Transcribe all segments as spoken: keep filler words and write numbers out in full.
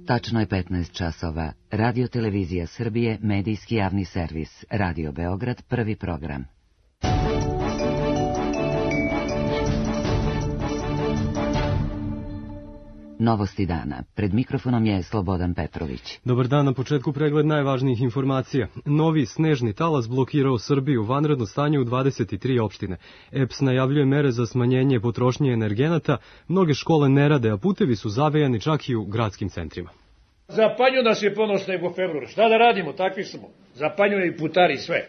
Tačno je petnaest časova. Radio Televizija Srbije, medijski javni servis. Radio Beograd, prvi program. Novosti dana. Pred mikrofonom je Slobodan Petrović. Dobar dan, na početku pregled najvažnijih informacija. Novi snežni talas blokirao Srbiju, vanredno stanje u dvadeset tri opštine. E P S najavljuje mere za smanjenje potrošnje energenata, mnoge škole ne rade, a putevi su zavejani čak i u gradskim centrima. Zapanju nas je ponos nego februar. Šta da radimo, takvi smo. Zapanjuje i putari sve.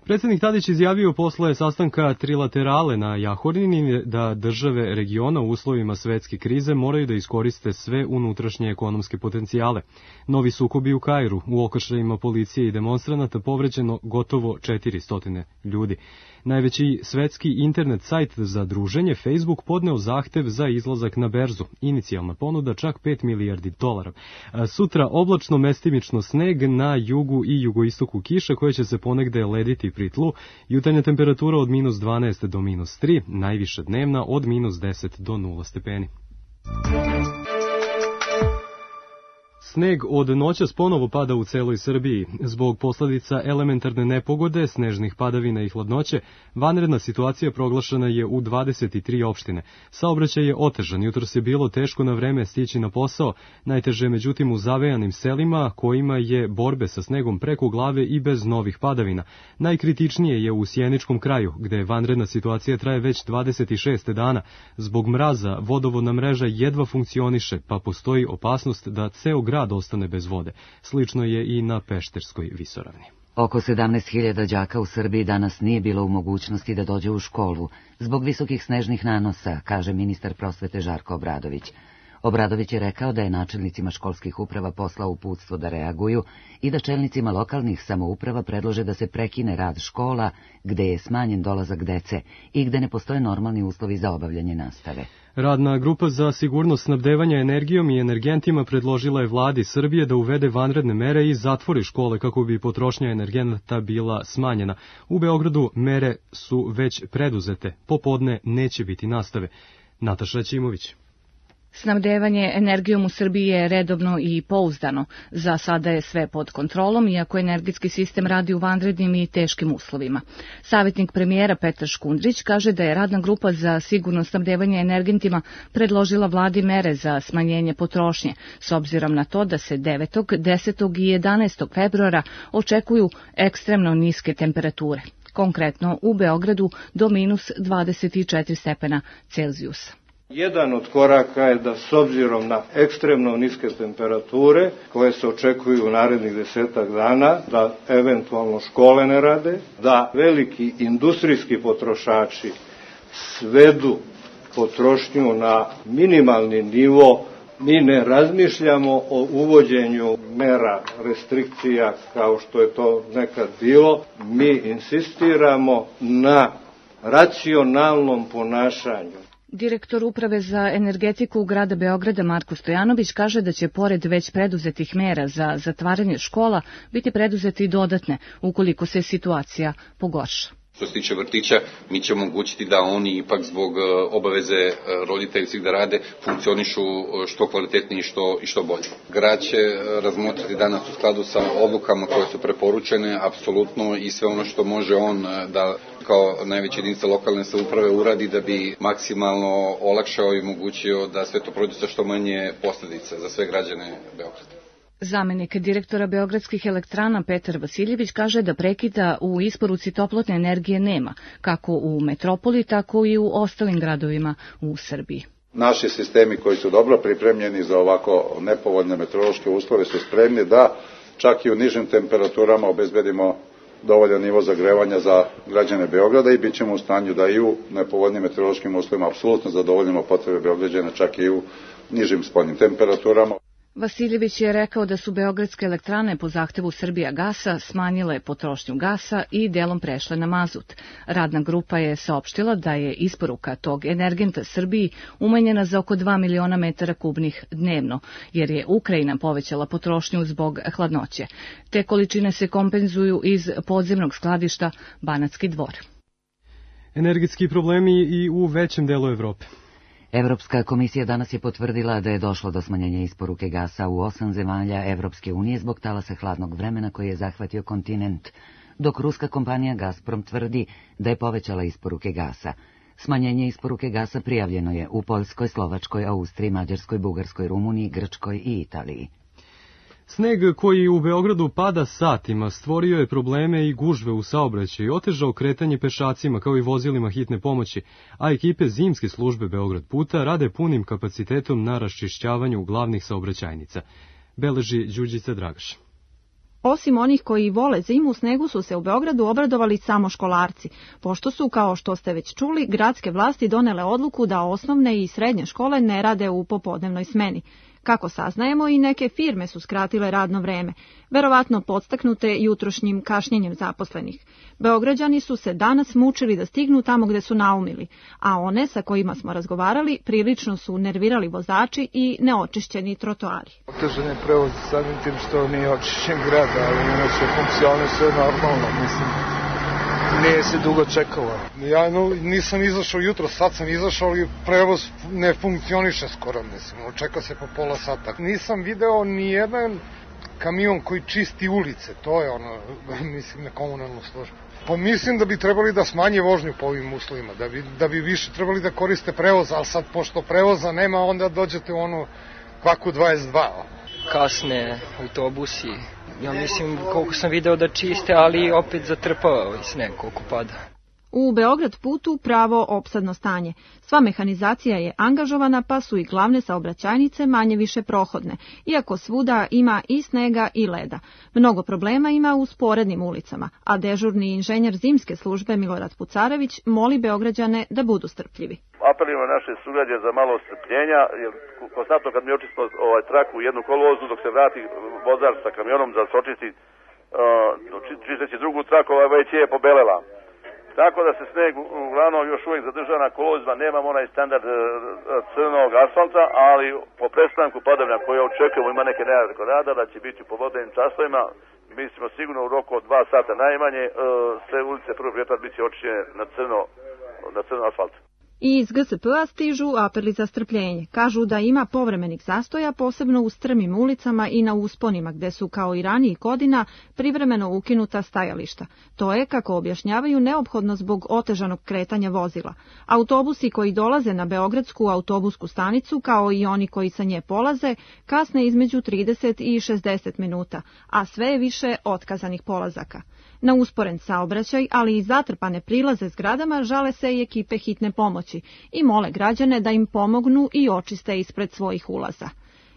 Predsjednik Tadić izjavio posle sastanka trilaterale na Jahorini da države regiona u uslovima svetske krize moraju da iskoriste sve unutrašnje ekonomske potencijale. Novi sukobi u Kairu, u okršajima policije i demonstranata povređeno gotovo četiristo ljudi. Najveći svetski internet sajt za druženje, Facebook, podneo zahtev za izlazak na berzu. Inicijalna ponuda čak pet milijardi dolara. Sutra oblačno mestimično sneg, na jugu i jugoistoku kiša koje će se ponegde lediti pri tlu. Jutarnja temperatura od minus dvanaest do minus tri, najviša dnevna od minus deset do nula stepeni. Sneg od noćas ponovo pada u celoj Srbiji. Zbog posledica elementarne nepogode, snežnih padavina i hladnoće, vanredna situacija proglašena je u dvadeset tri opštine. Saobraćaj je otežan, jutros je bilo teško na vreme stići na posao, najteže međutim u zavejanim selima kojima je borbe sa snegom preko glave i bez novih padavina. Najkritičnije je u Sjeničkom kraju, gde vanredna situacija traje već dvadeset šest dana. Zbog mraza vodovodna mreža jedva funkcioniše, pa postoji opasnost da ceo grad ostane bez vode. Slično je i na Pešterskoj visoravni. Oko sedamnaest hiljada đaka u Srbiji danas nije bilo u mogućnosti da dođe u školu zbog visokih snežnih nanosa, kaže ministar prosvete Žarko Obradović. Obradović je rekao da je načelnicima školskih uprava poslao uputstvo da reaguju i da čelnicima lokalnih samouprava predlože da se prekine rad škola gde je smanjen dolazak dece i gde ne postoje normalni uslovi za obavljanje nastave. Radna grupa za sigurnost snabdevanja energijom i energentima predložila je vladi Srbije da uvede vanredne mere i zatvori škole kako bi potrošnja energenata bila smanjena. U Beogradu mere su već preduzete. Popodne neće biti nastave. Nataša Ćimović. Snabdevanje energijom u Srbiji je redovno i pouzdano. Za sada je sve pod kontrolom, iako energetski sistem radi u vanrednim i teškim uslovima. Savjetnik premijera Petar Škundrić kaže da je radna grupa za sigurno snabdevanje energentima predložila vladi mere za smanjenje potrošnje, s obzirom na to da se devetog, desetog i jedanaestog februara očekuju ekstremno niske temperature, konkretno u Beogradu do minus dvadeset četiri stepena Celzijusa. Jedan od koraka je da s obzirom na ekstremno niske temperature koje se očekuju u narednih desetak dana, da eventualno škole ne rade, da veliki industrijski potrošači svedu potrošnju na minimalni nivo. Mi ne razmišljamo o uvođenju mera restrikcija kao što je to nekad bilo. Mi insistiramo na racionalnom ponašanju. Direktor Uprave za energetiku grada Beograda Marko Stojanović kaže da će pored već preduzetih mera za zatvaranje škola biti preduzete i dodatne ukoliko se situacija pogorša. Što se tiče vrtića, mi ćemo omogućiti da oni ipak zbog obaveze roditeljskih da rade funkcionišu što kvalitetnije i što, i što bolje. Grad će razmotriti danas u skladu sa odlukama koje su preporučene, apsolutno, i sve ono što može on da kao najveća jedinica lokalne samouprave uradi da bi maksimalno olakšao i omogućio da sve to prođe sa što manje posljedica za sve građane Beograda. Zamenik direktora Beogradskih elektrana Petar Vasiljević kaže da prekida u isporuci toplotne energije nema, kako u metropoli, tako i u ostalim gradovima u Srbiji. Naši sistemi koji su dobro pripremljeni za ovako nepovoljne meteorološke uslove su spremni da čak i u nižim temperaturama obezbedimo dovoljan nivo zagrevanja za građane Beograda i bit ćemo u stanju da i u nepovoljnim meteorološkim uslovima apsolutno zadovoljimo potrebe Beograđana čak i u nižim spoljnim temperaturama. Vasiljević je rekao da su beogradske elektrane po zahtevu Srbijagasa smanjile potrošnju gasa i delom prešle na mazut. Radna grupa je saopštila da je isporuka tog energenta Srbiji umanjena za oko dva miliona metara kubnih dnevno, jer je Ukrajina povećala potrošnju zbog hladnoće. Te količine se kompenzuju iz podzemnog skladišta Banatski Dvor. Energetski problemi i u većem delu Evrope. Evropska komisija danas je potvrdila da je došlo do smanjenja isporuke gasa u osam zemalja Evropske unije zbog talasa hladnog vremena koji je zahvatio kontinent, dok ruska kompanija Gazprom tvrdi da je povećala isporuke gasa. Smanjenje isporuke gasa prijavljeno je u Poljskoj, Slovačkoj, Austriji, Mađarskoj, Bugarskoj, Rumuniji, Grčkoj i Italiji. Sneg koji u Beogradu pada satima stvorio je probleme i gužve u saobraćaju i otežao kretanje pešacima kao i vozilima hitne pomoći, a ekipe zimske službe Beograd puta rade punim kapacitetom na raščišćavanju glavnih saobraćajnica. Beleži Đurđica Dragaš. Osim onih koji vole zimu, snegu su se u Beogradu obradovali samo školarci, pošto su, kao što ste već čuli, gradske vlasti donele odluku da osnovne i srednje škole ne rade u popodnevnoj smeni. Kako saznajemo, i neke firme su skratile radno vreme, verovatno podstaknute jutrošnjim kašnjenjem zaposlenih. Beograđani su se danas mučili da stignu tamo gde su naumili, a one sa kojima smo razgovarali prilično su nervirali vozači i neočišćeni trotoari. Otežan je prevoz samim tim što nije očišćen grad, ali inače funkcioniše normalno, mislim. Nije se dugo čekalo. Ja no, nisam izašao jutro, sad sam izašao, ali prevoz ne funkcioniše skoro, mislim. Čeka se po pola sata. Nisam video ni jedan kamion koji čisti ulice, to je ono, mislim, na komunalnu službu. Pa mislim da bi trebali da smanje vožnju po ovim uslovima, da bi, da bi više trebali da koriste prevoz, ali sad pošto prevoza nema, onda dođete u onu kvaku dvadeset dva. Kasne autobusi, ja mislim koliko sam video da čiste, ali opet zatrpava ovaj sneg koliko pada. U Beograd putu pravo opsadno stanje. Sva mehanizacija je angažovana, pa su i glavne saobraćajnice manje više prohodne, iako svuda ima i snega i leda. Mnogo problema ima u sporednim ulicama, a dežurni inženjer zimske službe Milorad Pucarević moli Beograđane da budu strpljivi. Apelujemo na naše sugrađane za malo strpljenja, jer konstantno kad mi očistimo ovaj trak u jednu kolovozu, dok se vrati vozač sa kamionom za sočisti, uh, čisteći drugu traku, ovaj već je pobelela. Tako da se sneg uglavnom još uvijek zadržava na kolozima, nemamo onaj standard crnog asfalta, ali po prestanku padavina koje očekujemo, ima neke najave rada da će biti u popodnevnim časovima, mislimo sigurno u roku od dva sata najmanje, sve ulice prvo prijetar biti će očišćene na crno, na crno asfalt. I iz G S P-a stižu apeli za strpljenje. Kažu da ima povremenih zastoja, posebno u strmim ulicama i na usponima, gde su, kao i ranijih godina, privremeno ukinuta stajališta. To je, kako objašnjavaju, neophodno zbog otežanog kretanja vozila. Autobusi koji dolaze na Beogradsku autobusku stanicu, kao i oni koji sa nje polaze, kasne između trideset i šezdeset minuta, a sve je više otkazanih polazaka. Na usporen saobraćaj, ali i zatrpane prilaze zgradama, žale se i ekipe hitne pomoći i mole građane da im pomognu i očiste ispred svojih ulaza.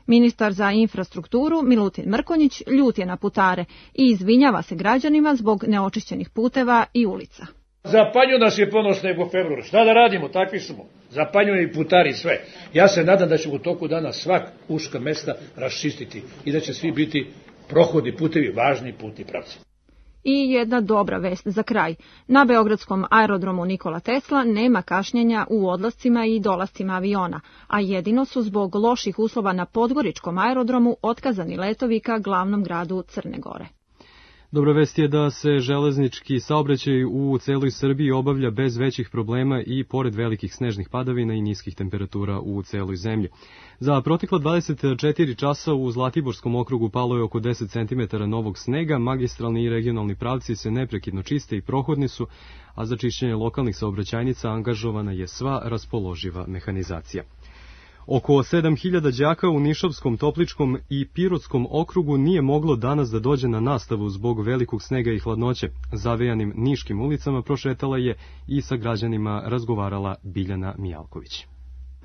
Ministar za infrastrukturu Milutin Mrkonjić ljut je na putare i izvinjava se građanima zbog neočišćenih puteva i ulica. Zapanju nas je ponos nego februar. Šta da radimo, takvi smo. Zapanjuju i putari sve. Ja se nadam da će u toku dana svak uška mesta raščistiti i da će svi biti prohodni putevi, važni putni pravci. I jedna dobra vest za kraj. Na beogradskom aerodromu Nikola Tesla nema kašnjenja u odlascima i dolascima aviona, a jedino su zbog loših uslova na podgoričkom aerodromu otkazani letovi ka glavnom gradu Crne Gore. Dobra vest je da se železnički saobraćaj u celoj Srbiji obavlja bez većih problema i pored velikih snežnih padavina i niskih temperatura u celoj zemlji. Za protekla dvadeset četiri časa u Zlatiborskom okrugu palo je oko deset centimetara novog snega, magistralni i regionalni pravci se neprekidno čiste i prohodni su, a za čišćenje lokalnih saobraćajnica angažovana je sva raspoloživa mehanizacija. Oko sedam hiljada đaka u Nišavskom, Topličkom i Pirotskom okrugu nije moglo danas da dođe na nastavu zbog velikog snega i hladnoće. Zavejanim niškim ulicama prošetala je i sa građanima razgovarala Biljana Mijalković.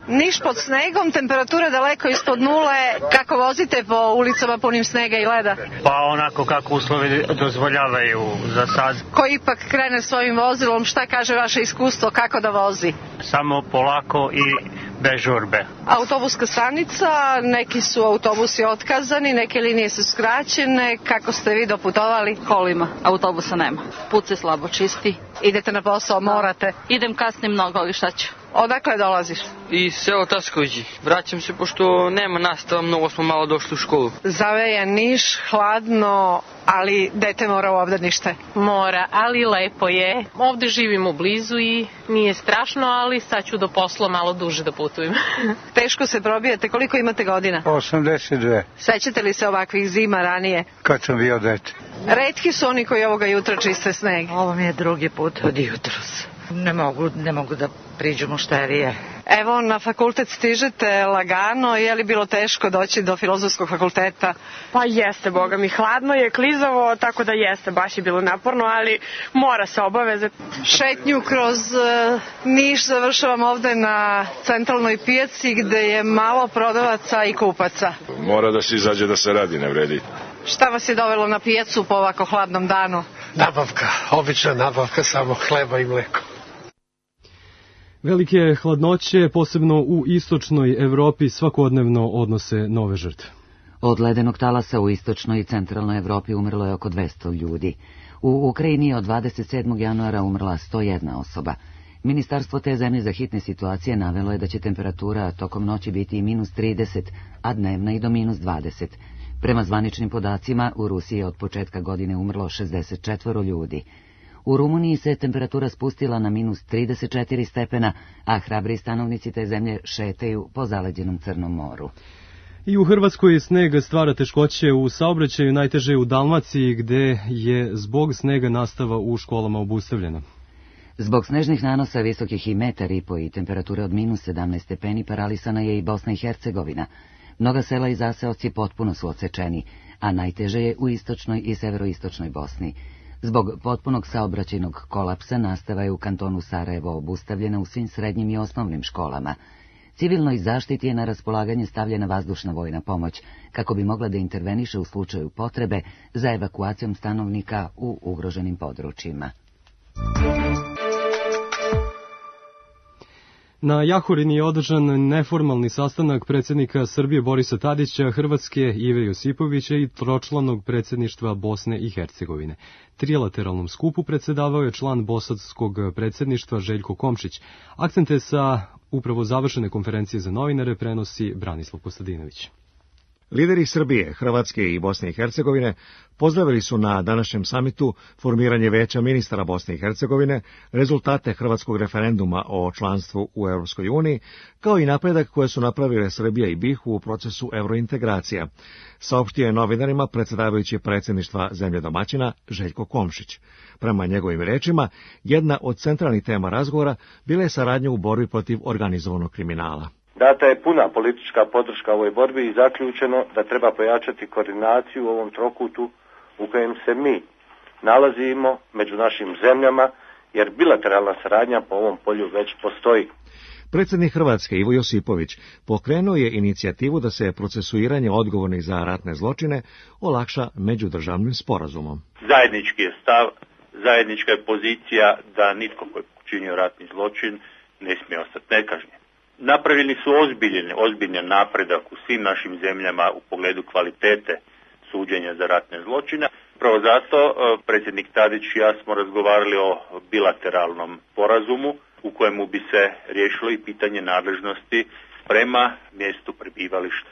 Niš pod snegom, temperatura daleko ispod nule. Kako vozite po ulicama punim snega i leda? Pa onako kako uslovi dozvoljavaju za sad. Ko ipak krene svojim vozilom, šta kaže vaše iskustvo, kako da vozi? Samo polako i bez žurbe. Autobuska stanica, neki su autobusi otkazani, neke linije su skraćene. Kako ste vi doputovali? Kolima, autobusa nema. Put se slabo čisti. Idete na posao, morate? Idem kasnim mnogo, ali šta ću? Odakle dolaziš? Iz sela Taskovići. Vraćam se pošto nema nastava, mnogo smo malo došli u školu. Zaveja Niš, hladno, ali dete mora u obdanište. Mora, ali lepo je. Ovde živimo blizu i nije strašno, ali sad ću do posla malo duže da putujem. Teško se probijate, koliko imate godina? osamdeset dve. Sećate li se ovakvih zima ranije? Kad sam bio dete. Retki su oni koji ovoga jutra čiste sneg. Ovo mi je drugi put od jutros. Ne mogu, ne mogu da priđu mušterije. Evo, na fakultet stižete lagano, je li bilo teško doći do filozofskog fakulteta? Pa jeste, boga mi, hladno je, klizavo, tako da jeste, baš je bilo naporno, ali mora se obaveze. Šetnju kroz uh, Niš završavam ovde na centralnoj pijaci gde je malo prodavaca i kupaca. Mora da se izađe da se radi, ne vredi. Šta vas je dovelo na pijacu po ovako hladnom danu? Nabavka, obična nabavka, samo hleba i mleko. Velike hladnoće, posebno u istočnoj Evropi, svakodnevno odnose nove žrtve. Od ledenog talasa u istočnoj i centralnoj Evropi umrlo je oko dvesta ljudi. U Ukrajini od dvadeset sedmog januara umrla sto jedna osoba. Ministarstvo te zemlje za hitne situacije navelo je da će temperatura tokom noći biti i minus trideset, a dnevna i do minus dvadeset. Prema zvaničnim podacima, u Rusiji je od početka godine umrlo šezdeset četvoro ljudi. U Rumuniji se temperatura spustila na minus trideset četiri stepena, a hrabri stanovnici te zemlje šetaju po zaleđenom Crnom moru. I u Hrvatskoj sneg stvara teškoće u saobraćaju, najteže u Dalmaciji, gde je zbog snega nastava u školama obustavljena. Zbog snežnih nanosa visokih i metar i po i temperature od minus sedamnaest stepeni paralisana je i Bosna i Hercegovina. Mnoga sela i zaseoci potpuno su odsečeni, a najteže je u istočnoj i severoistočnoj Bosni. Zbog potpunog saobraćajnog kolapsa nastava je u kantonu Sarajevo obustavljena u svim srednjim i osnovnim školama. Civilnoj zaštiti je na raspolaganje stavljena vazdušna vojna pomoć, kako bi mogla da interveniše u slučaju potrebe za evakuacijom stanovnika u ugroženim područjima. Na Jahorini je održan neformalni sastanak predsjednika Srbije Borisa Tadića, Hrvatske Ive Josipovića i tročlanog predsjedništva Bosne i Hercegovine. Trilateralnom skupu predsjedavao je član bosanskog predsjedništva Željko Komšić. Akcente sa upravo završene konferencije za novinare prenosi Branislav Kostadinović. Lideri Srbije, Hrvatske i Bosne i Hercegovine pozdravili su na današnjem samitu formiranje Veća ministara Bosne i Hercegovine, rezultate hrvatskog referenduma o članstvu u Europskoj uniji, kao i napredak koje su napravile Srbija i BiH u procesu evrointegracija, saopštio je novinarima predsjedavajući predsjedništva zemlje domaćina Željko Komšić. Prema njegovim rečima, jedna od centralnih tema razgovora bila je saradnja u borbi protiv organizovanog kriminala. Data je puna politička podrška ovoj borbi i zaključeno da treba pojačati koordinaciju u ovom trokutu u kojem se mi nalazimo među našim zemljama, jer bilateralna saradnja po ovom polju već postoji. Predsjednik Hrvatske Ivo Josipović pokrenuo je inicijativu da se procesuiranje odgovornih za ratne zločine olakša međudržavnim sporazumom. Zajednički je stav, zajednička je pozicija da nitko ko je počinio ratni zločin ne smije ostati nekažnjen. Napravili su ozbiljen, ozbiljan napredak u svim našim zemljama u pogledu kvalitete suđenja za ratne zločine. Pravo zato predsjednik Tadić i ja smo razgovarali o bilateralnom sporazumu u kojemu bi se riješilo i pitanje nadležnosti prema mjestu prebivališta.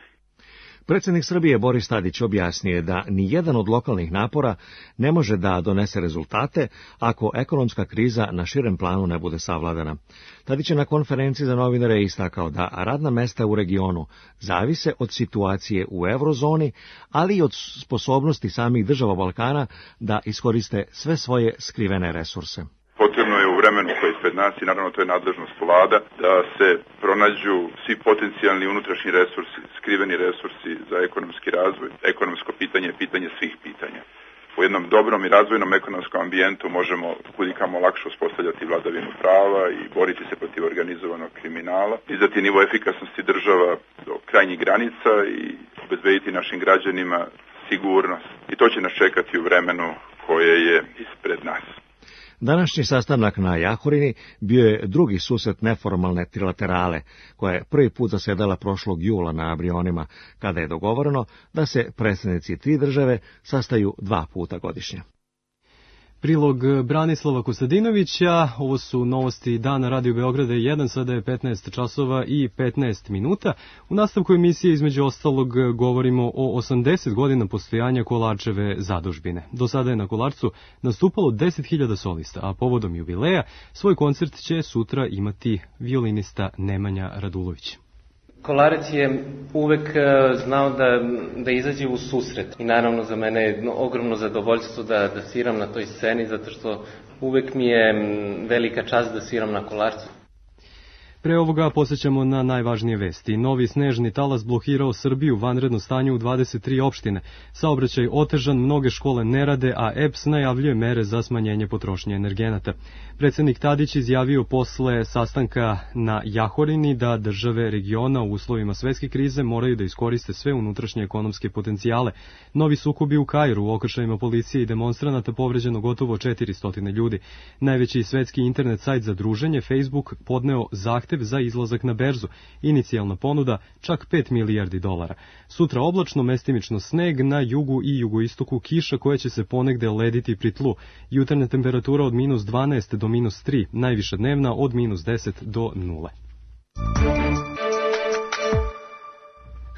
Predsjednik Srbije Boris Tadić objasnio je da ni jedan od lokalnih napora ne može da donese rezultate ako ekonomska kriza na širem planu ne bude savladana. Tadić je na konferenciji za novinare istakao da radna mesta u regionu zavise od situacije u eurozoni, ali i od sposobnosti samih država Balkana da iskoriste sve svoje skrivene resurse. Potrebno je u vremenu koje je ispred nas i naravno to je nadležnost vlada da se pronađu svi potencijalni unutrašnji resursi, skriveni resursi za ekonomski razvoj. Ekonomsko pitanje je pitanje svih pitanja. U jednom dobrom i razvojnom ekonomskom ambijentu možemo kudikamo lakše uspostavljati vladavinu prava i boriti se protiv organizovanog kriminala, dizati nivo efikasnosti država do krajnjih granica i obezbediti našim građanima sigurnost. I to će nas čekati u vremenu koje je ispred nas. Današnji sastanak na Jahorini bio je drugi susret neformalne trilaterale, koja je prvi put zasedala prošlog jula na Brionima, kada je dogovoreno da se predsjednici tri države sastaju dva puta godišnje. Prilog Branislava Kostadinovića, ovo su novosti dana Radio Beograda jedan, sada je petnaest časova i petnaest minuta. U nastavku emisije između ostalog govorimo o osamdeset godina postojanja Kolarčeve zadužbine. Do sada je na Kolarcu nastupalo deset hiljada solista, a povodom jubileja svoj koncert će sutra imati violinista Nemanja Radulović. Kolarac je uvek znao da, da izađe u susret i naravno za mene je ogromno zadovoljstvo da, da sviram na toj sceni, zato što uvek mi je velika čast da sviram na Kolarcu. Pre ovoga posjećamo na najvažnije vesti. Novi snežni talas blokirao Srbiju, vanredno stanje u dvadeset tri opštine. Saobraćaj otežan, mnoge škole ne rade, a E P S najavljuje mere za smanjenje potrošnje energenata. Predsednik Tadić izjavio posle sastanka na Jahorini da države regiona u uslovima svetske krize moraju da iskoriste sve unutrašnje ekonomske potencijale. Novi sukobi u Kairu, u okršajima policije i demonstranata povređeno gotovo četiristo ljudi. Najveći svetski internet sajt za druženje, Facebook, podneo zahtev za izlazak na berzu. Inicijalna ponuda čak pet milijardi dolara. Sutra oblačno, mestimično sneg, na jugu i jugoistoku kiša koja će se ponegde lediti pri tlu. Jutarnja temperatura od minus dvanaest do minus tri, najviša dnevna od minus deset do nule.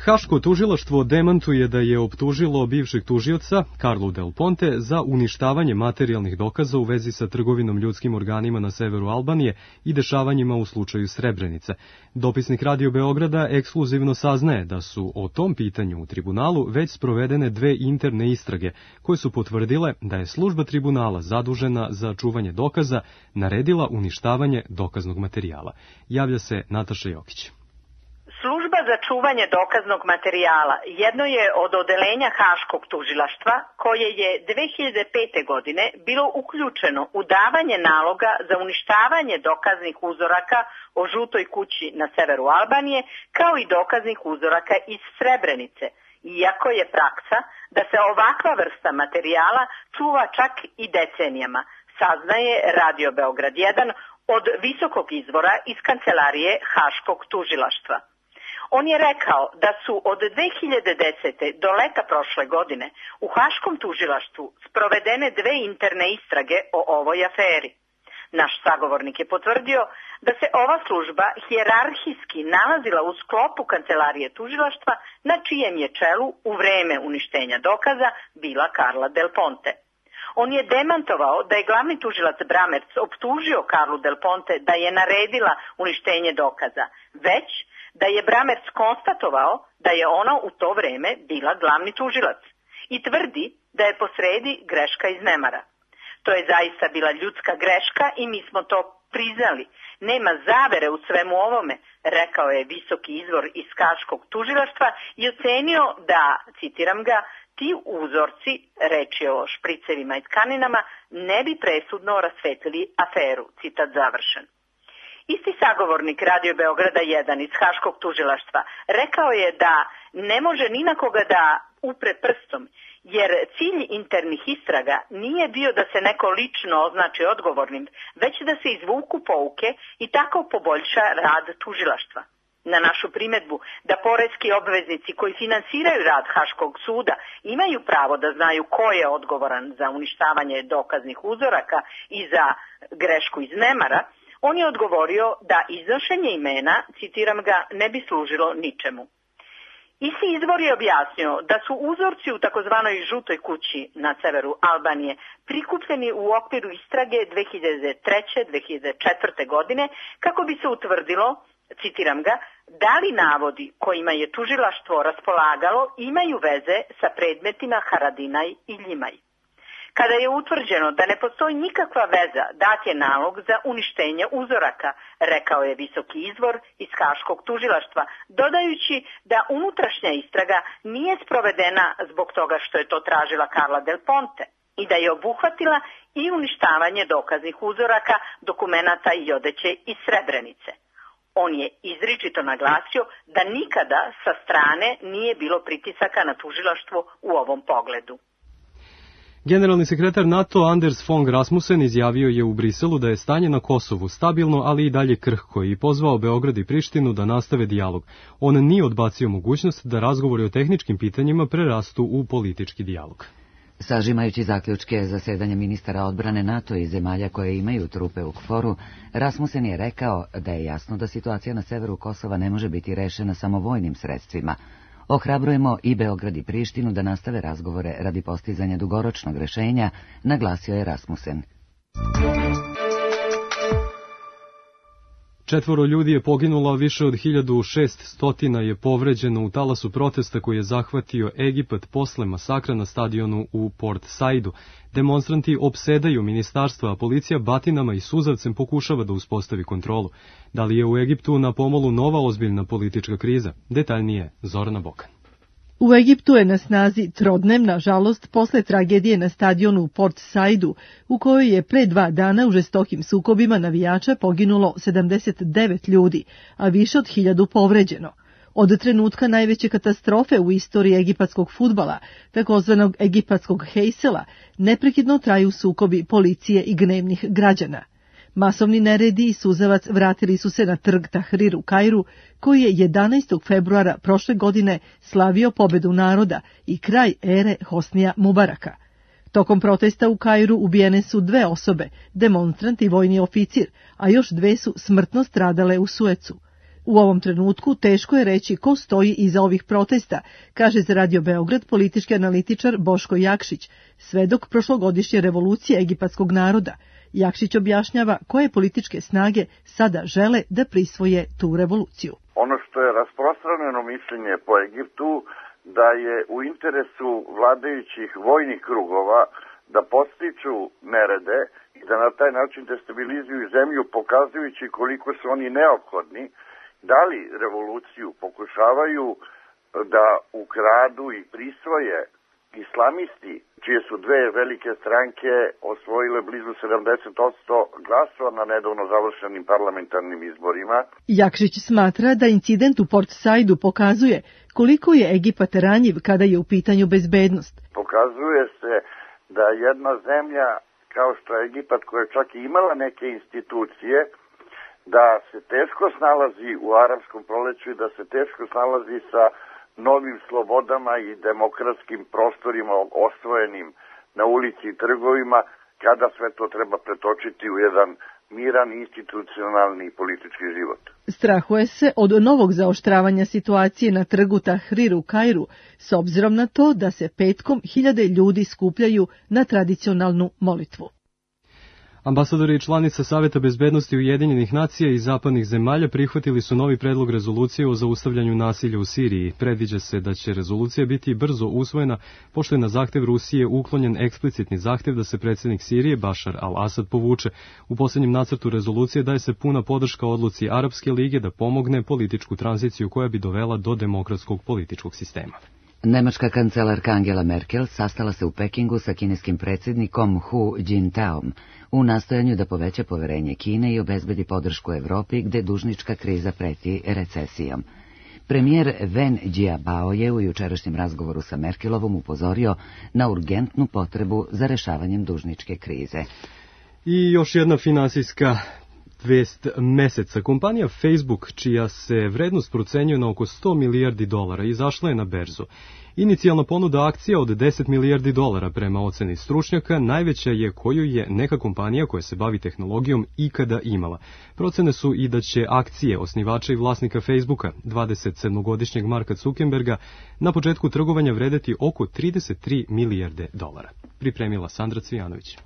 Haško tužilaštvo demantuje da je optužilo bivšeg tužioca, Carlu Del Ponte, za uništavanje materijalnih dokaza u vezi sa trgovinom ljudskim organima na severu Albanije i dešavanjima u slučaju Srebrenice. Dopisnik Radio Beograda ekskluzivno saznaje da su o tom pitanju u tribunalu već sprovedene dve interne istrage, koje su potvrdile da je služba tribunala zadužena za čuvanje dokaza naredila uništavanje dokaznog materijala. Javlja se Nataša Jokić. Služba za čuvanje dokaznog materijala jedno je od odelenja Haškog tužilaštva koje je dve hiljade pete. godine bilo uključeno u davanje naloga za uništavanje dokaznih uzoraka o žutoj kući na severu Albanije kao i dokaznih uzoraka iz Srebrenice, iako je praksa da se ovakva vrsta materijala čuva čak i decenijama, saznaje Radio Beograd jedan od visokog izvora iz kancelarije Haškog tužilaštva. On je rekao da su od dve hiljade desete. do leta prošle godine u Haškom tužilaštvu sprovedene dve interne istrage o ovoj aferi. Naš sagovornik je potvrdio da se ova služba hijerarhijski nalazila u sklopu kancelarije tužilaštva na čijem je čelu u vreme uništenja dokaza bila Carla Del Ponte. On je demantovao da je glavni tužilac Bramerc optužio Carlu Del Ponte da je naredila uništenje dokaza, već da je Bramerc konstatovao da je ona u to vreme bila glavni tužilac i tvrdi da je posredi greška iz nemara. To je zaista bila ljudska greška i mi smo to priznali. Nema zavere u svemu ovome, rekao je visoki izvor iz Haškog tužilaštva i ocenio da, citiram ga, ti uzorci, reč je o špricevima i tkaninama, ne bi presudno rasvetlili aferu, citat završen. Isti sagovornik Radio Beograda jedan iz Haškog tužilaštva rekao je da ne može ni na koga da upre prstom, jer cilj internih istraga nije bio da se neko lično označi odgovornim, već da se izvuku pouke i tako poboljša rad tužilaštva. Na našu primedbu da poreski obveznici koji finansiraju rad Haškog suda imaju pravo da znaju ko je odgovoran za uništavanje dokaznih uzoraka i za grešku iz nemara, on je odgovorio da iznošenje imena, citiram ga, ne bi služilo ničemu. Isti izvor je objasnio da su uzorci u takozvanoj žutoj kući na severu Albanije prikupljeni u okviru istrage dve hiljade treće. do dve hiljade četvrte. godine kako bi se utvrdilo, citiram ga, da li navodi kojima je tužilaštvo raspolagalo imaju veze sa predmetima Haradinaj i Ljimaj. Kada je utvrđeno da ne postoji nikakva veza, dat je nalog za uništenje uzoraka, rekao je visoki izvor iz Haškog tužilaštva, dodajući da unutrašnja istraga nije sprovedena zbog toga što je to tražila Carla Del Ponte i da je obuhvatila i uništavanje dokaznih uzoraka, dokumenata i odeće iz Srebrenice. On je izričito naglasio da nikada sa strane nije bilo pritisaka na tužilaštvo u ovom pogledu. Generalni sekretar NATO Anders Fogh Rasmussen izjavio je u Briselu da je stanje na Kosovu stabilno, ali i dalje krhko i pozvao Beograd i Prištinu da nastave dijalog. On nije odbacio mogućnost da razgovori o tehničkim pitanjima prerastu u politički dijalog. Sažimajući zaključke zasedanja ministara odbrane NATO i zemalja koje imaju trupe u KFOR-u, Rasmussen je rekao da je jasno da situacija na severu Kosova ne može biti rešena samo vojnim sredstvima. Ohrabrujemo i Beograd i Prištinu da nastave razgovore radi postizanja dugoročnog rešenja, naglasio je Rasmussen. Četvoro ljudi je poginulo, a više od hiljadu šeststo je povređeno u talasu protesta koji je zahvatio Egipat posle masakra na stadionu u Port Saidu. Demonstranti opsedaju ministarstva, a policija batinama i suzavcem pokušava da uspostavi kontrolu. Da li je u Egiptu na pomolu nova ozbiljna politička kriza? Detaljnije, Zorana Bokan. U Egiptu je na snazi trodnevna žalost posle tragedije na stadionu u Port Saidu, u kojoj je pre dva dana u žestokim sukobima navijača poginulo sedamdeset devet ljudi, a više od hiljadu povređeno. Od trenutka najveće katastrofe u istoriji egipatskog fudbala, takozvanog egipatskog hejsela, neprekidno traju sukobi policije i gnevnih građana. Masovni neredi i suzavac vratili su se na trg Tahrir u Kairu, koji je jedanaestog februara prošle godine slavio pobedu naroda i kraj ere Hosnija Mubaraka. Tokom protesta u Kairu ubijene su dve osobe, demonstrant i vojni oficir, a još dve su smrtno stradale u Suecu. U ovom trenutku teško je reći ko stoji iza ovih protesta, kaže za Radio Beograd politički analitičar Boško Jakšić, svedok prošlogodišnje revolucije egipatskog naroda. Jakšić objašnjava koje političke snage sada žele da prisvoje tu revoluciju. Ono što je rasprostranjeno mišljenje po Egiptu, da je u interesu vladajućih vojnih krugova da podstiču nerede i da na taj način destabilizuju zemlju, pokazujući koliko su oni neophodni, da li revoluciju pokušavaju da ukradu i prisvoje islamisti, čije su dve velike stranke osvojile blizu sedamdeset posto glasova na nedavno završenim parlamentarnim izborima. Jakšić smatra da incident u Port Saidu pokazuje koliko je Egipat ranjiv kada je u pitanju bezbednost. Pokazuje se da jedna zemlja kao što je Egipat, koja čak i imala neke institucije, da se teško snalazi u arapskom proleću i da se teško snalazi sa novim slobodama i demokratskim prostorima osvojenim na ulici i trgovima, kada sve to treba pretočiti u jedan miran, institucionalni i politički život. Strahuje se od novog zaoštravanja situacije na trgu Tahrir u Kairu, s obzirom na to da se petkom hiljade ljudi skupljaju na tradicionalnu molitvu. Ambasadori i članica Saveta bezbednosti Ujedinjenih nacija i zapadnih zemalja prihvatili su novi predlog rezolucije o zaustavljanju nasilja u Siriji. Predviđa se da će rezolucija biti brzo usvojena, pošto je na zahtev Rusije uklonjen eksplicitni zahtev da se predsjednik Sirije Bašar al-Asad povuče. U posljednjem nacrtu rezolucije daje se puna podrška odluci Arapske lige da pomogne političku tranziciju koja bi dovela do demokratskog političkog sistema. Nemačka kancelarka Angela Merkel sastala se u Pekingu sa kineskim predsjednikom Hu Jintaom u nastojanju da poveća poverenje Kine i obezbedi podršku Evropi gde dužnička kriza preti recesijom. Premijer Wen Jiabao je u jučerašnjem razgovoru sa Merkelovom upozorio na urgentnu potrebu za rešavanjem dužničke krize. I još jedna finansijska vest meseca. Kompanija Facebook, čija se vrednost procenjuje na oko sto milijardi dolara, izašla je na berzu. Inicijalna ponuda akcija od deset milijardi dolara prema oceni stručnjaka najveća je koju je neka kompanija koja se bavi tehnologijom ikada imala. Procene su i da će akcije osnivača i vlasnika Facebooka, dvadesetsedmogodišnjeg Marka Zuckerberga, na početku trgovanja vredeti oko trideset tri milijarde dolara. Pripremila Sandra Cvijanović.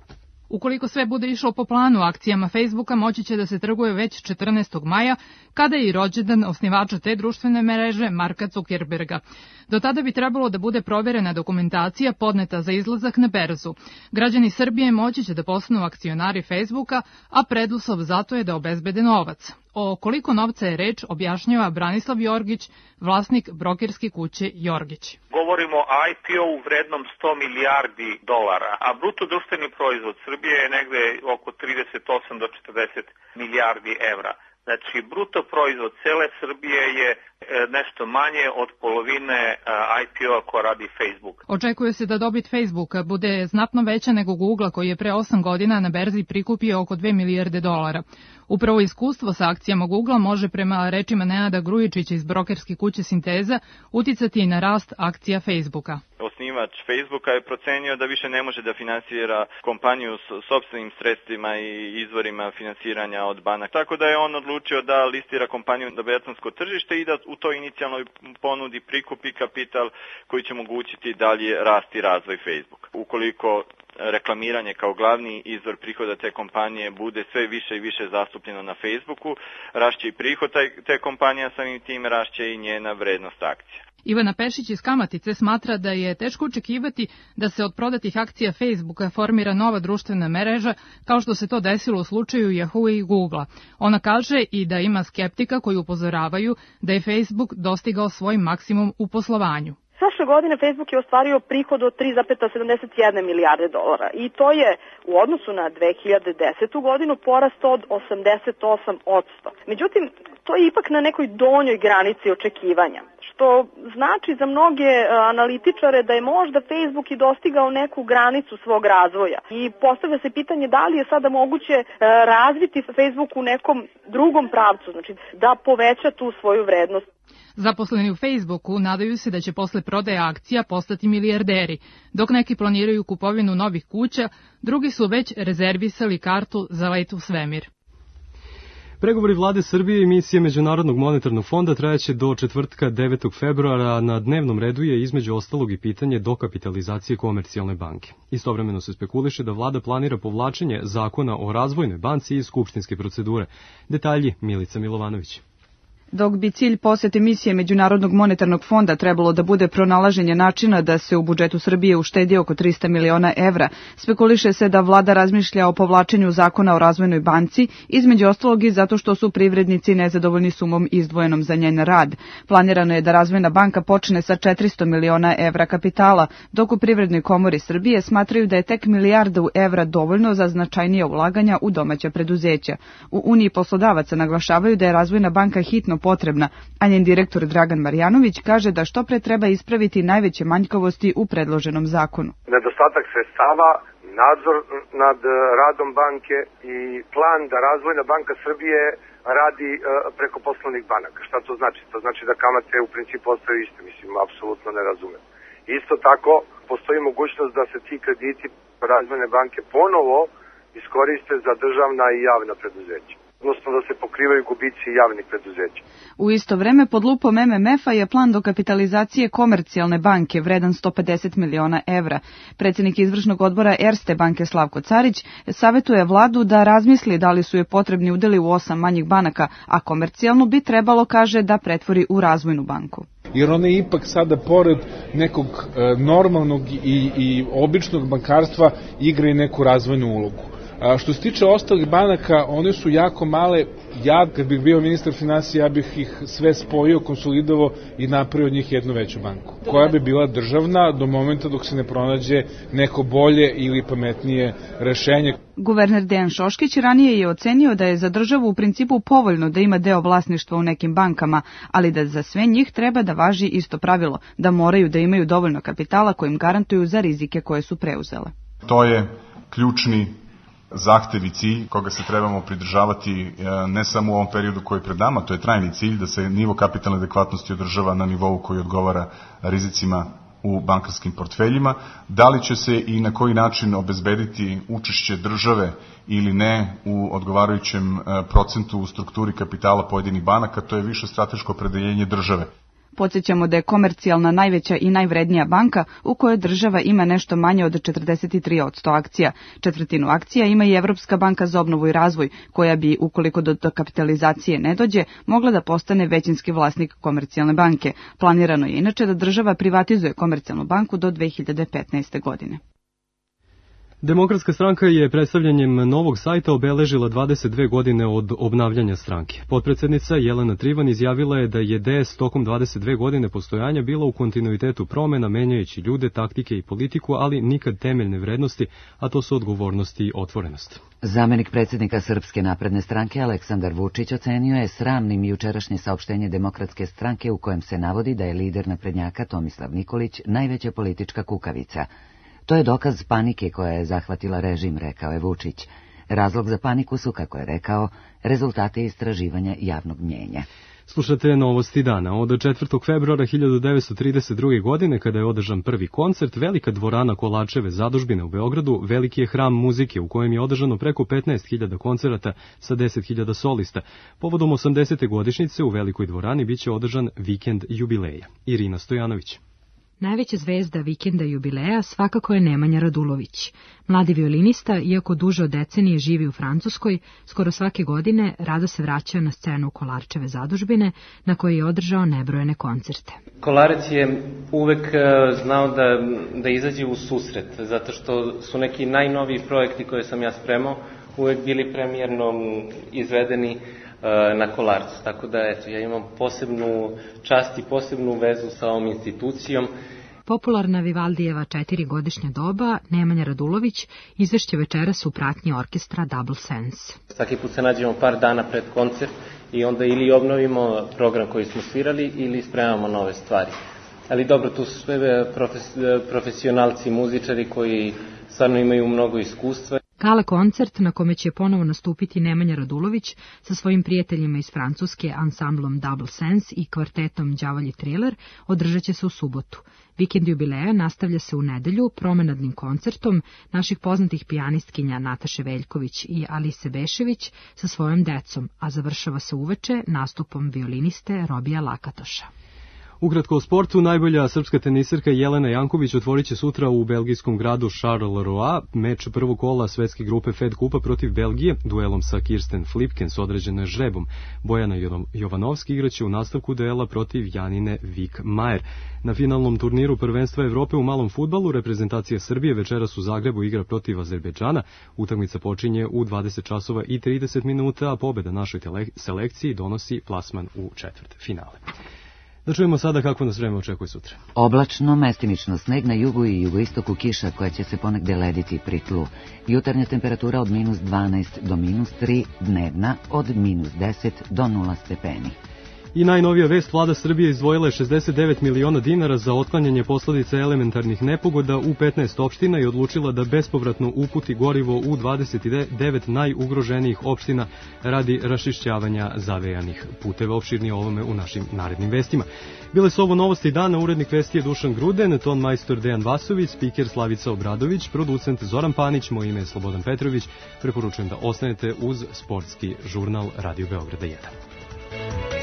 Ukoliko sve bude išlo po planu, akcijama Facebooka moći će da se trguje već četrnaestog maja, kada je i rođendan osnivača te društvene mreže Marka Zuckerberga. Do tada bi trebalo da bude provjerena dokumentacija podneta za izlazak na berzu. Građani Srbije moći će da postanu akcionari Facebooka, a preduslov zato je da obezbede novac. O koliko novca je reč objašnjava Branislav Jorgić, vlasnik brokerske kuće Jorgić. Govorimo o I P O-u vrednom sto milijardi dolara, a bruto društveni proizvod Srbije je negde oko trideset osam do četrdeset milijardi evra. Znači, bruto proizvod cele Srbije je nešto manje od polovine I P O-a ko radi Facebook. Očekuje se da dobit Facebooka bude znatno veća nego Google, koji je pre osam godina na berzi prikupio oko dve milijarde dolara. Upravo iskustvo sa akcijama Google može prema rečima Nenada Grujičića iz brokerske kuće Sinteza uticati i na rast akcija Facebooka. Osnivač Facebooka je procenio da više ne može da finansira kompaniju s sopstvenim sredstvima i izvorima finansiranja od banaka. Tako da je on odlučio da listira kompaniju na betonsko tržište i da u toj inicijalnoj ponudi prikupi kapital koji će omogućiti dalje rast i razvoj Facebooka. Ukoliko reklamiranje kao glavni izvor prihoda te kompanije bude sve više i više zastupljeno na Facebooku, rašće i prihod te kompanije, samim tim rašće i njena vrednost akcija. Ivana Pešić iz Kamatice smatra da je teško očekivati da se od prodatih akcija Facebooka formira nova društvena mreža, kao što se to desilo u slučaju Yahoo i Googlea. Ona kaže i da ima skeptika koji upozoravaju da je Facebook dostigao svoj maksimum u poslovanju. Prošle godine Facebook je ostvario prihod od tri zarez sedamdeset jedna milijarde dolara i to je u odnosu na dve hiljade desetu godinu porast od osamdeset osam posto. Međutim, to je ipak na nekoj donjoj granici očekivanja, što znači za mnoge analitičare da je možda Facebook i dostigao neku granicu svog razvoja. I postavlja se pitanje da li je sada moguće razviti Facebook u nekom drugom pravcu, znači da poveća tu svoju vrednost. Zaposleni u Facebooku nadaju se da će posle prodaje akcija postati milijarderi, dok neki planiraju kupovinu novih kuća, drugi su već rezervisali kartu za let u svemir. Pregovori vlade Srbije i misije Međunarodnog monetarnog fonda trajaće do četvrtka devetog februara, a na dnevnom redu je između ostalog i pitanje dokapitalizacije Komercijalne banke. Istovremeno se spekuliše da vlada planira povlačenje zakona o razvojnoj banci iz skupštinske procedure. Detalji Milica Milovanović. Dok bi cilj posete misije Međunarodnog monetarnog fonda trebalo da bude pronalaženje načina da se u budžetu Srbije uštedi oko trista miliona evra, spekuliše se da vlada razmišlja o povlačenju zakona o razvojnoj banci, između ostalog i zato što su privrednici nezadovoljni sumom izdvojenom za njen rad. Planirano je da razvojna banka počne sa četiristo miliona evra kapitala, dok u Privrednoj komori Srbije smatraju da je tek milijardu evra dovoljno za značajnije ulaganja u domaća preduzeća. U Uniji poslodavaca naglašavaju da je razvojna banka hitno potrebna, a njen direktor Dragan Marjanović kaže da što pre treba ispraviti najveće manjkavosti u predloženom zakonu. Nedostatak sredstava, nadzor nad radom banke i plan da Razvojna banka Srbije radi preko poslovnih banaka. Šta to znači? To znači da kamate u principu ostaju iste, mislim, apsolutno ne razumem. Isto tako, postoji mogućnost da se ti krediti Razvojne banke ponovo iskoriste za državna i javna preduzeća, odnosno da se pokrivaju gubici javnih preduzeća. U isto vreme, pod lupom em em ef-a je plan dokapitalizacije Komercijalne banke vredan sto pedeset miliona evra. Predsjednik izvršnog odbora Erste banke Slavko Carić savetuje vladu da razmisli da li su je potrebni udeli u osam manjih banaka, a Komercijalnu bi trebalo, kaže, da pretvori u razvojnu banku. Jer ona ipak sada pored nekog e, normalnog i, i običnog bankarstva igra i neku razvojnu ulogu. A što se tiče ostalih banaka, one su jako male. Ja, kad bih bio ministar finansija, ja bih ih sve spojio, konsolidovao i napravio od njih jednu veću banku, koja bi bila državna do momenta dok se ne pronađe neko bolje ili pametnije rešenje. Guverner Dejan Šoškić ranije je ocenio da je za državu u principu povoljno da ima deo vlasništva u nekim bankama, ali da za sve njih treba da važi isto pravilo, da moraju da imaju dovoljno kapitala kojim garantuju za rizike koje su preuzele. To je ključni zahtev i cilj koga se trebamo pridržavati ne samo u ovom periodu koji je pred nama, to je trajni cilj da se nivo kapitalne adekvatnosti održava na nivou koji odgovara rizicima u bankarskim portfeljima. Da li će se i na koji način obezbediti učešće države ili ne u odgovarajućem procentu u strukturi kapitala pojedinih banaka, to je više strateško opredeljenje države. Podsjećamo da je Komercijalna najveća i najvrednija banka u kojoj država ima nešto manje od četrdeset tri posto akcija. Četvrtinu akcija ima i Evropska banka za obnovu i razvoj, koja bi, ukoliko do kapitalizacije ne dođe, mogla da postane većinski vlasnik Komercijalne banke. Planirano je inače da država privatizuje Komercijalnu banku do dve hiljade petnaeste. godine. Demokratska stranka je predstavljanjem novog sajta obeležila dvadeset dve godine od obnavljanja stranke. Potpredsednica Jelena Trivan izjavila je da je D S tokom dvadeset dve godine postojanja bila u kontinuitetu promena, menjajući ljude, taktike i politiku, ali nikad temeljne vrednosti, a to su odgovornost i otvorenost. Zamenik predsjednika Srpske napredne stranke Aleksandar Vučić ocenio je sramnim jučerašnje saopštenje Demokratske stranke u kojem se navodi da je lider naprednjaka Tomislav Nikolić najveća politička kukavica. To je dokaz panike koja je zahvatila režim, rekao je Vučić. Razlog za paniku su, kako je rekao, rezultate istraživanja javnog mnjenja. Slušate novosti dana. Od četvrtog februara hiljadu devetsto trideset druge. godine, kada je održan prvi koncert, velika dvorana Kolarčeve zadužbine u Beogradu veliki je hram muzike u kojem je održano preko petnaest hiljada koncerata sa deset hiljada solista. Povodom osamdesete godišnjice u velikoj dvorani biće održan vikend jubileja. Irina Stojanović. Najveća zvezda vikenda jubileja svakako je Nemanja Radulović. Mladi violinista, iako duže od decenije živi u Francuskoj, skoro svake godine rado se vraća na scenu Kolarčeve zadužbine, na kojoj je održao nebrojene koncerte. Kolarec je uvek znao da, da izađe u susret, zato što su neki najnoviji projekti koje sam ja spremao uvek bili premijerno izvedeni na Kolarcu. Tako da, eto, ja imam posebnu čast i posebnu vezu sa ovom institucijom. Popularna Vivaldijeva četirigodišnja doba, Nemanja Radulović, izvešće večeras u pratnji orkestra Double Sense. Svaki put se nađemo par dana pred koncert i onda ili obnovimo program koji smo svirali ili spremamo nove stvari. Ali dobro, tu su sve profes, profesionalci, muzičari koji stvarno imaju mnogo iskustva. Gala koncert na kome će ponovo nastupiti Nemanja Radulović sa svojim prijateljima iz Francuske, ansamblom Double Sense i kvartetom Đavolji Triler, održat će se u subotu. Vikend jubileja nastavlja se u nedelju promenadnim koncertom naših poznatih pijanistkinja Nataše Veljković i Alise Bešević sa svojom decom, a završava se uveče nastupom violiniste Robija Lakatoša. Ukratko o sportu, najbolja srpska teniserka Jelena Janković otvorit će sutra u belgijskom gradu Charleroi meč prvog kola svetske grupe Fed Kupa protiv Belgije, duelom sa Kirsten Flipkens određeno je žrebom. Bojana Jovanovski igraće u nastavku duela protiv Janine Vik-Majer. Na finalnom turniru prvenstva Evrope u malom fudbalu reprezentacija Srbije večeras u Zagrebu igra protiv Azerbejdžana. Utakmica počinje u dvadeset časova i trideset minuta, a pobeda našoj selekciji donosi plasman u četvrt finale. Da čujemo sada kako nas vreme očekuje sutra. Oblačno, mestimično sneg na jugu i jugoistoku, kiša koja će se ponegde lediti pri tlu. Jutarnja temperatura od minus dvanaest do minus tri, dnevna od minus deset do nula stepeni. I najnovija vest, vlada Srbije izdvojila je šezdeset devet miliona dinara za otklanjanje posledica elementarnih nepogoda u petnaest opština i odlučila da bespovratno uputi gorivo u dvadeset devet najugroženijih opština radi raščišćavanja zavejanih puteva. Opširnije o ovome u našim narednim vestima. Bile su ovo novosti dana, urednik vesti je Dušan Gruden, ton majstor Dejan Vasović, spiker Slavica Obradović, producent Zoran Panić, moje ime je Slobodan Petrović. Preporučujem da ostanete uz sportski žurnal Radio Beograda jedan.